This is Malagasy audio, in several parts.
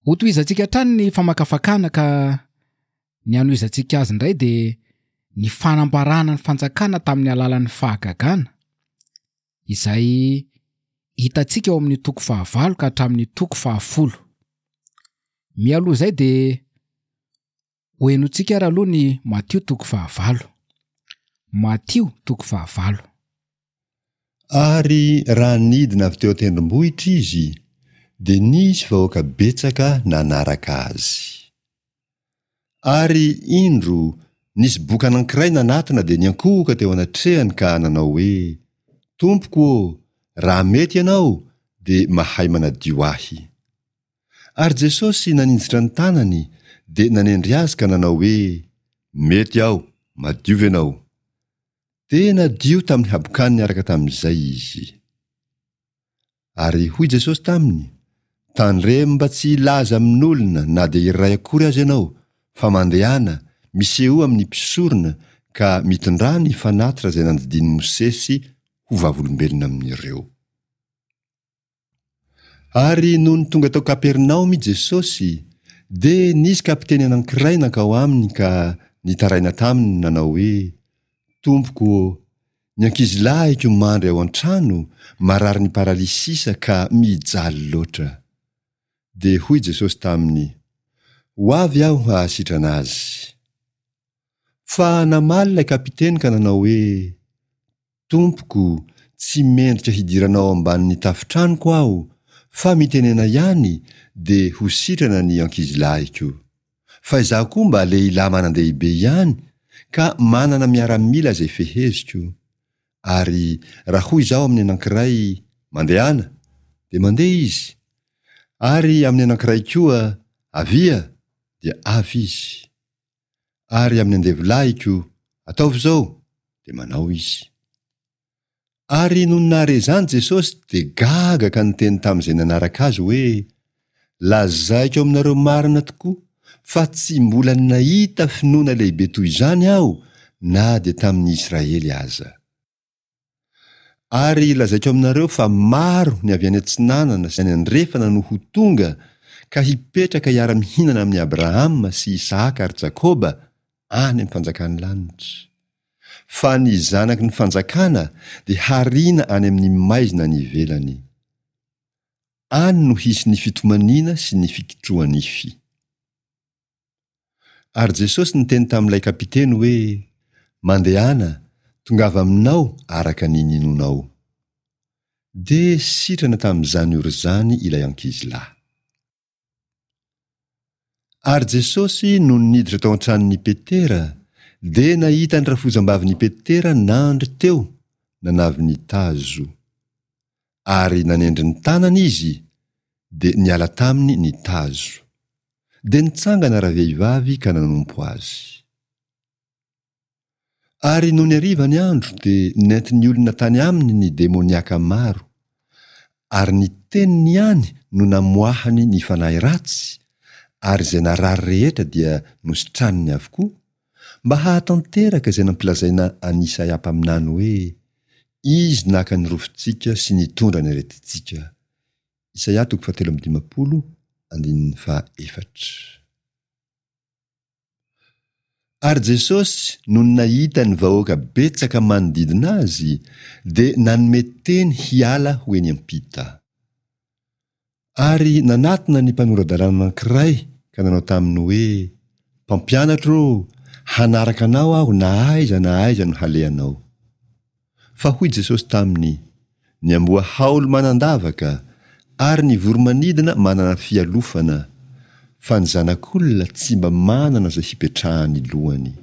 Hotohizantsika hatrany ny famakafakana ka ny hanohizantsika azy indray dia ny fanambarana ny fanjakana tamin'ny alalan'ny fahagagana izay hitantsika ao amin'ny toko fahavalo ka hatramin'ny toko fahafolo. Mialoha izay dia hohenointsika ary aloha ny Matio toko fahavalo. Matio toko fahavalo. Ary raha nidina avy teo an-tendrombohitra izy, dia nisy vahoaka betsaka nanaraka azy. Ary, indro, nisy boka anankiray nanatona dia niankohoka teo anatrehany ka nanao hoe, Tompoko ô, raha mety ianao, dia mahay manadio ahy. Ary Jesosy naninjitra ny tanany, dia nanendry azy ka nanao hoe, Mety aho, madiova ianao. Dia nadio tamin'ny habokany niaraka tamin'izay izy. Ary hoy Jesosy taminy, Tandremo mba tsy hilaza amin'olona na dia iray akory aza ianao, fa mandehana, misehoa amin'ny mpisorona ka mitondrà ny fanatitra izay nandidian'i Mosesy ho vavolombelona amin'ireo. Ary nony tonga tao Kapernaomy Jesosy, dia nisy kapiteny anankiray nankao aminy ka nitaraina taminy nanao hoe, Tompoko ô, ny ankizilahiko mandry ao an-trano, mararin'ny paralysisa ka mijaly loatra. Dia hoy Jesosy taminy, Ho avy aho hahasitrana azy. Fa namaly ilay kapiteny ka nanao hoe, Tompoko, tsy mendrika hidiranao ao ambanin'ny tafon-tranoko aho, fa mitenena ihany dia ho sitrana ny ankizilahiko. Fa izaho koa mba lehilahy manan-dehibe ihany ka manana miaramila izay feheziko. Ary raha hoy izaho amin'ny anankiray, Mandehana, dia mandeha izy. Ary amin'ny anankiray koa, Avia, dia avy izy. Ary amin'ny andevolahiko, Ataovy izao, dia manao izy. Ary nony nahare izany Jesosy dia gaga ka niteny tamin'izay nanaraka azy hoe, Lazaiko aminareo marina tokoa fa tsy mbola nahita finoana lehibe toy izany aho na dia tamin'ny Israely aza. Ary lazaiko aminareo fa maro ny avy any atsinanana sy any andrefana no ho tonga ka hipetraka hiara-mihinana amin'i Abrahama sy Isahaka ary Jakoba any amin'ny fanjakan'ny lanitra. Fa ny zanaky ny fanjakana dia hariana any amin'ny maizina any ivelany. Any no hisy ny fitomaniana sy ny fikitroha-nify. Ary Jesosy niteny tamin'ilay kapiteny hoe, Mandehana, tongava aminao araka ny ninoanao. Dia sitrana tamin'izany ora izany ilay ankizilahy. Ary Jesosy nony niditra tao an-tranon'i Petera, dia nahita ny rafozambavin'i Petera nandry teo, nanavy ny tazo. Ary nanendry ny tanany izy, dia niala taminy ny tazo. Dia nitsangana ravehivavy ka nanompo azy. Ary nony hariva ny andro dia nentin'ny olona tany aminy ny demoniaka maro, ary ny teniny ihany no namoahany ny fanahy ratsy, ary izay narary rehetra dia nositraniny avokoa, mba hahatanteraka izay nampilazaina an'i Isaia mpaminany hoe, Izy naka ny rofintsika sy nitondra ny aretintsika. Isaia toko fahatelo amby 50, andininy fahaefatra. Ary Jesosy nony nahita ny vahoaka betsaka manodidina azy, dia nanome teny hiala ho eny am-pita. Ary nanatona ny mpanora-dalàna anankiray ka nanao taminy hoe, Mpampianatra ô, hanaraka anao aho na aiza na aiza no halehanao. Fa hoy Jesosy taminy, Ny amboa haolo manan-davaka, ary ny voro-manidina manana fialofana, fa ny Zanak'olona tsy mba manana izay hipetrahan'ny lohany.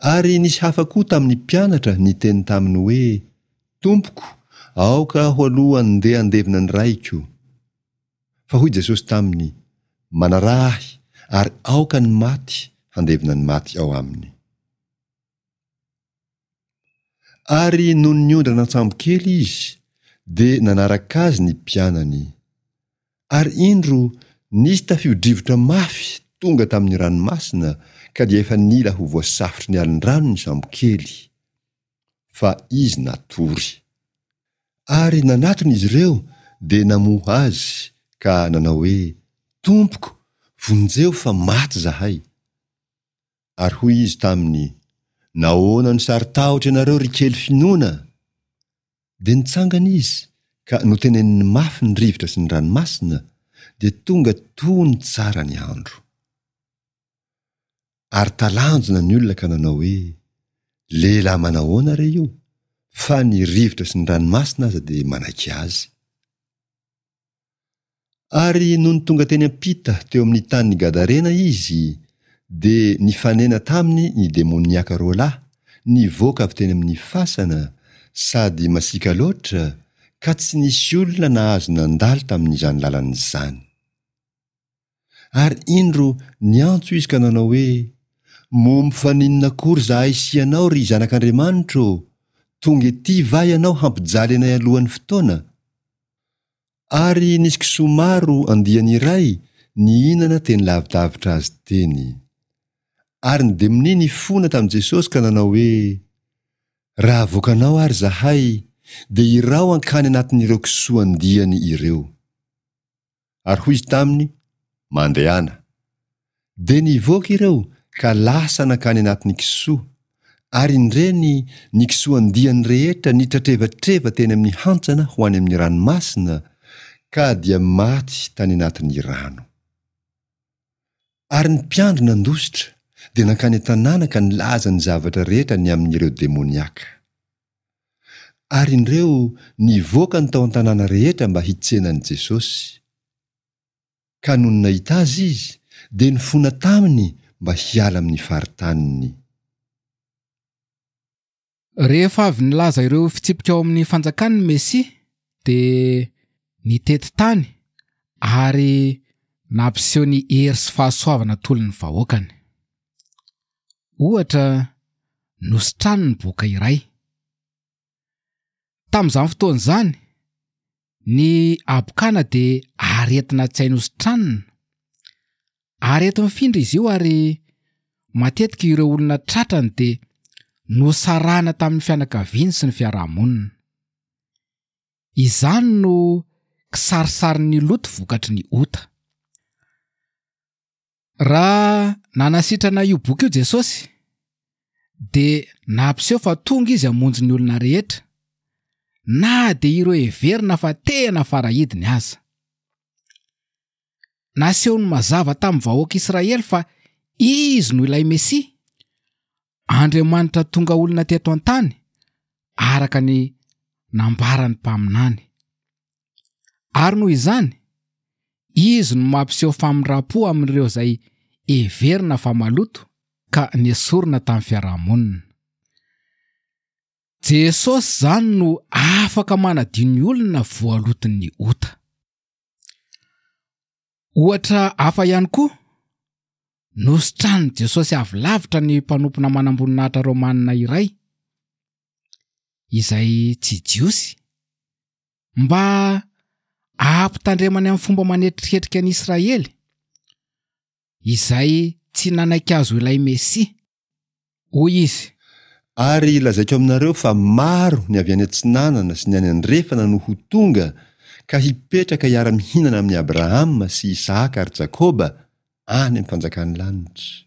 Ary nisy hafa koa tamin'ny mpianatra niteny taminy hoe, Tompoko, aoka aho aloha andeha handevina ny raiko. Fa hoy Jesosy taminy, Manaraha ahy, ary aoka ny maty handevina ny maty ao aminy. Ary nony niondrana an-tsambokely izy, dia nanaraka azy ny mpianany. Ary indro, nisy tafio-drivotra mafy tonga tamin'ny ranomasina ka dia efa nila ho voasafotry ny alin-drano ny sambokely, fa izy natory. Ary nanatona izy ireo dia namoha azy. ka nanao hoe, Tompoko, vonjeo fa maty izahay. Ary hoy Izy taminy, Nahoana no saro-tahotra ianareo, ry kely finoana? Dia nitsangana Izy, ka noteneniny mafy ny rivotra sy ny ranomasina, dia tonga tony tsara ny andro. Ary talanjona ny olona ka nanao hoe, Lehilahy manahoana re io, fa ny rivotra sy ny ranomasina aza dia manaiky azy. Ary nony tonga teny am-pita teo amin'ny tanin'i Gadarena izy, dia nifanena taminy ny demoniaka roalahy, nivoaka avy teny amin'ny fasana, sady masiaka loatra, ka tsy nisy olona nahazo nandalo tamin'izany lalana izany. Ary indro niantso izy ka nanao hoe, Moa mifaninona akory izahay sy ianao, ry Zanak'Andriamanitra ô? Tonga ety va ianao hampijaly anay alohan'ny fotoana? Ary nisy kisoa maro andiany iray nihinana teny lavidavitra azy teny. Ary ny demonia nifona tamin'i Jesosy ka nanao hoe, Raha avoakanao ary izahay, dia iraho hankany anatin'ireo kisoa andiany ireo. Ary hoy izy taminy, Mandehana. Dia nivoaka ireo ka lasa nankany anatin'ny kisoa, ary indreny ny kisoa andiany rehetra nitratrevatreva teny amin'ny hantsana ho any amin'ny ranomasina, ka dia maty tany anatin'ny rano. Ary ny mpiandry nandositra, dia nankany an-tanàna ka nilaza ny zavatra rehetra ny amin'ireo demoniaka. Ary indreo nivoaka ny tao an-tanàna rehetra mba hitsena an'i Jesosy. Ka nony nahita Azy izy, dia nifona taminy mba hiala amin'ny faritaniny. Rehefa avy nilaza ireo fitsipika ao amin'ny fanjakany ny Mesia, dia nitety tany ary nampiseho ny hery sy fahasoavana atolony ny vahoakany. Ohatra, nositraniny ny boka iray. Tamin'izany fotoana izany, ny habokana dia aretina tsy hay nositranina. Areti-mifindra izy io ary matetika ireo olona tratrany dia nosarahina tamin'ny fianakaviany sy ny fiarahamonina. Izany no kisarisarin'ny loto vokatry ny ota. Raha nanasitrana io boky io Jesosy, dia nampiseho fa tonga izy hamonjy ny olona rehetra, na dia ireo heverina fa tena farahidiny aza. Nasehony mazava tamin'ny vahoaka Israely fa izy no ilay Mesia, Andriamanitra tonga olona teto an-tany, araka ny nambaran'ny mpaminany. Ary noho izany, izy no mampiseho famindram-po amin'ireo izay heverina fa maloto ka nesorina tamin'ny fiarahamonina. Jesosy izany no afaka manadio ny olona voaloton'ny ota. Ohatra hafa ihany koa, nositranin'i Jesosy avy lavitra ny mpanompona manamboninahitra romanina iray, izay tsy Jiosy, mba hampitandremany amin'ny fomba manetriketrika ny Israely, izay tsy nanaiky azy ho ilay Mesia. Hoy izy. Ary lazaiko aminareo fa maro ny avy any atsinanana sy ny any andrefana no ho tonga ka hipetraka hiara-mihinana amin'i Abrahama sy Isahaka ary Jakoba any amin'ny fanjakan'ny lanitra.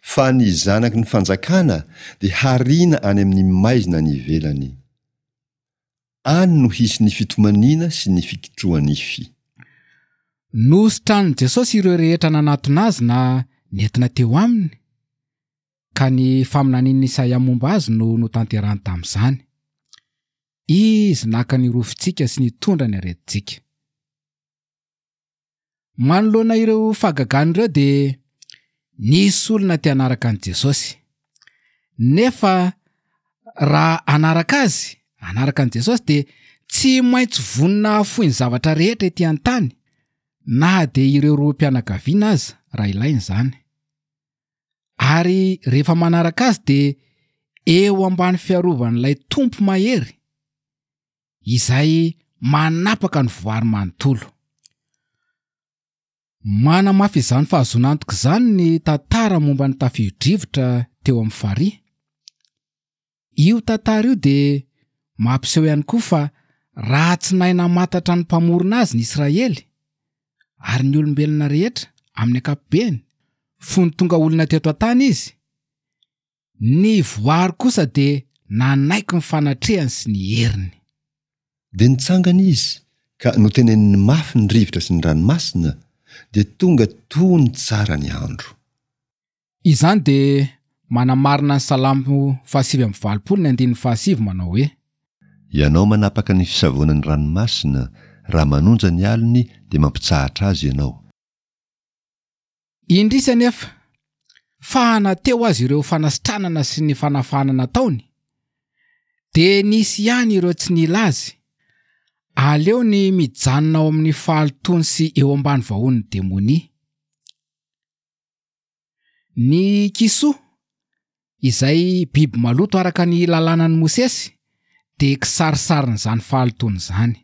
Fa ny zanaky ny fanjakana dia hariana any amin'ny maizina any ivelany. Any no hisy ny fitomaniana sy ny fikitroha-nify. Nositranin'i Jesosy ireo rehetra nanatona azy na nentina teo aminy, ka ny faminanian'i Isaia momba azy no notanterahiny tamin'izany. Izy naka ny rofintsika sy nitondra ny aretintsika. Manoloana ireo fahagagana ireo dia nisy olona te hanaraka an'i Jesosy. Nefa raha hanaraka azy, hanaraka an'i Jesosy dia tsy maintsy vonona hahafoy ny zavatra rehetra ety an-tany, na dia ireo rohim-pianakaviana aza raha ilaina izany. Ary rehefa manaraka azy dia eo ambany fiarovan'ilay Tompo mahery, izay manapaka ny voary manontolo. Manamafy izany fahazoana antoka izany ny tantara momba ny tafio-drivotra teo amin'ny farihy. Io tantara io dia mampiseho ihany koa fa raha tsy nahay namantatra ny Mpamorona azy ny Israely. Ary ny olombelona rehetra, amin'ny ankapobeny, fony tonga olona teto an-tany izy, ny voary kosa dia nanaiky ny fanatrehany sy ny heriny. Dia nitsangana izy ka noteneniny mafy ny rivotra sy ny ranomasina, dia tonga tony tsara ny andro. Izany dia manamarina ny Salamo fahasivy amby valopolo ny andininy fahasivy manao hoe. Ianao manapaka ny fisavoana ny ranomasina, raha manonja ny alony dia mampitsahatra azy Ianao. Indrisy anefa fa na teo aza ireo fanasitranana sy ny fanafahana nataony dia nisy ihany ireo tsy nila azy. Aleony mijanona ao amin'ny fahalotoany sy eo ambany vahoan'ny demonia. Ny kisoa, izay biby maloto araka ny lalànan'i Mosesy, dia kisarisarin'izany fahalotoana izany.